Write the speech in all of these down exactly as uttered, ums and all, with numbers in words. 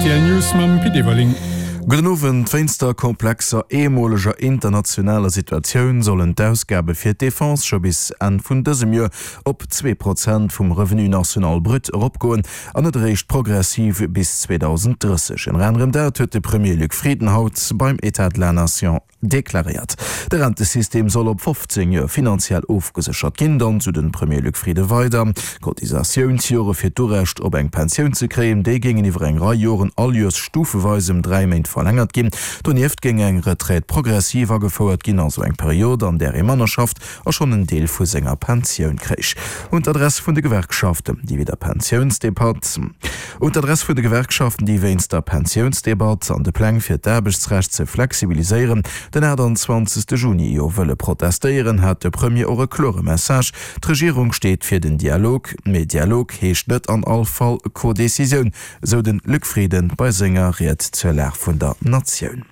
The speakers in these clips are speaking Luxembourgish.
R T L News mam Pit Everling. Gudden Owend. Wéinst der komplexer eemoleger internationaler Situatioun sollen d'Ausgabe fir d'Defense scho bis Enn vun dësem Joer op zwee Prozent vum Revenu national brut eropgoen an net eréischt progressiv bis zweedausenddrësseg. Ënner anerem dat huet de Premier Luc Frieden haut beim État de la Nation deklaréiert. De Rentesystem soll op fofzéng Joer finanziell ofgeséchert ginn. Dann, sou de Premier Luc Frieden weider, d'Cotisatiounsjore fir d'Urecht op eng Pensioun ze kréien, déi géingen iwwer eng Rei Joren all Joers stufeweis ëm dräi Méint verlängert ginn. Donieft géing eng Retraite progressive agefouert ginn, also eng Period, an där ee manner schafft a schonn en Deel vu senger Pensioun kréich. Un d'Adress vun de Gewerkschaften, déi wéi der Pensiounsdebatt Un d'Adress vun de Gewerkschaften, déi wéinst der Pensiounsdebatt an de Pläng fir d'Aarbechtsrecht ze flexibiliséieren den aachtanzwanzegste Juni jo wëlle protestéieren, hat de Premier och e klore Message, D'Regierung steet fir den Dialog, mee Dialog heescht net an all Fall Codecisioun, esou de Luc Frieden bei senger Ried zur Lag vun der Natioun.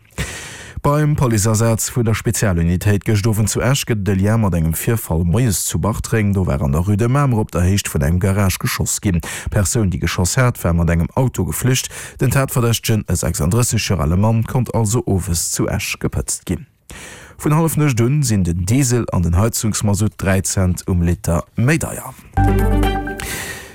Beim Policeasaz vun der Spezialunitéit gëscht Owend zu Esch gëtt et e Lien mat engem Virfall moies zu Bartreng. Do war an der Rue de Mamer op der Héicht vun engem Garage geschoss ginn. D'Persoun, déi geschoss hat, war mat engem Auto geflücht. Den Tatverdächtegen, e sechsanddrësseg Joer ale Mann, konnt also owes zu Esch gepëtzt ginn. Vun hallef nuecht un sinn den Diesel an den Heizungsmasutt dräi Cent um Liter méi deier.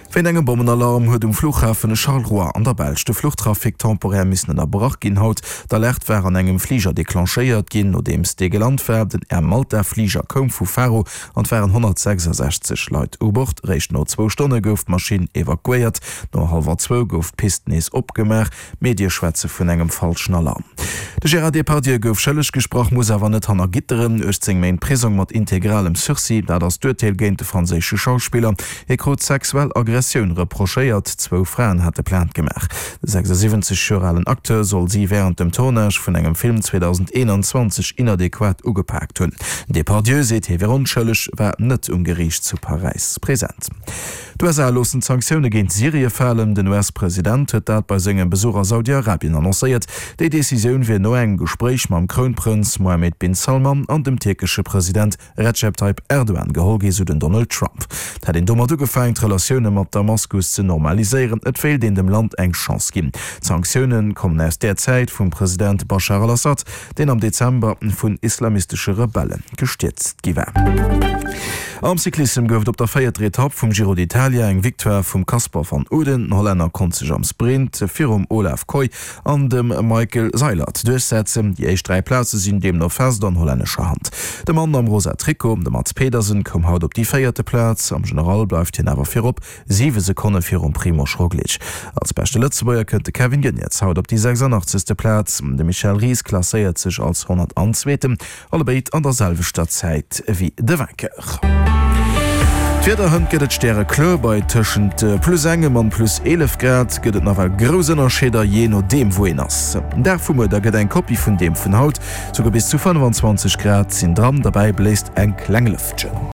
Wéint engem Bommenalarm huet um Fluchhafen Charleroi an der Belsch de Fluchtrafic temporär missen ënnerbrach ginn haut. D'Alerte war an engem Fliger declenchéiert ginn, nodeems dee gelant war. Den Air Malta Fliger koum vu Faro an et waren honnertsechsasechzeg Leit u Bord. Réischt no zwou Stonne gouf d'Maschinn evakuéiert. No hallwer zwou gouf d'Pist nees opgemaach. Medie schwätze vun engem falschen Alarm. De Gérard Depardieu gouf schëlleg gesprach, muss awer net hanner Gitteren. uechtzéng Méint Prisong mat integralem Sursis, dat ass d'Urteel géint de franséische Schauspiller. Hie krut sexuell Aggressioun reprochéiert. Zwou Fraen hate Plainte gemaach. De sechsasiwwenzeg Joer alen Acteur soll si wärend dem Tournage vun engem Film zweedausendeenanzwanzeg inadequat ugepaakt hunn. Den Depardieu seet, hie wier onschëlleg, war net um Geriicht zu Paräis present. D'U S A loossen d'Sanktioune géint Syrie falen. Den U S-President huet dat bei sengem Besuch a Saudi-Arabien annoncéiert. Déi Decisioun wier no engem Gespréich mam Krounprënz Mohammed bin Salman an dem tierkesche President Recep Tayyip Erdogan geholl gi, sou den Donald Trump. Et hätt een domat ugefaangen, d'Relatioune mat Damaskus ze normaliséieren. Et wéilt een dem Land eng Chance ginn. D'Sanktioune kommen aus där Zäit vum President Baschar al-Assad, deen am Dezember vun islamistesche Rebelle gestierzt gi war. Am Cyclissem gouf et op der véierter Etapp vum Giro d'Italia eng Victoire vum Casper van Uden. Den Hollänner konnt sech am Sprint virum Olav Kooij an dem Michael Seilert duerchsetzen. Déi éischt dräi Plaze sinn deemno fest an hollännescher Hand. De Mann am rosa Trikot, de Mads Pedersen, koum haut op déi véierte Plaz. Am General bleift hien awer virop, siwe Sekonne virum Primož Roglič. Als beschte Lëtzebuerger kënnt de Kevin Geniets haut op déi sechsandachtzegste Plaz. De Michel Ries klasséiert sech als honnertanzweeten, allebéid an der selwechter Zäit wéi de Vainqueur. D'Wieder, Hënt gëtt et stärekloer, bei tëschent plus engem an plus eelef Grad gëtt et nawell grouss Ënnerscheeder, jee nodeem wou een ass. Den Dag vu muer da gëtt eng Kopie vun deem vun haut, souguer bis zu fënnefenzwanzeg Grad sinn dran, derbäi bléist eng kleng Lëftchen.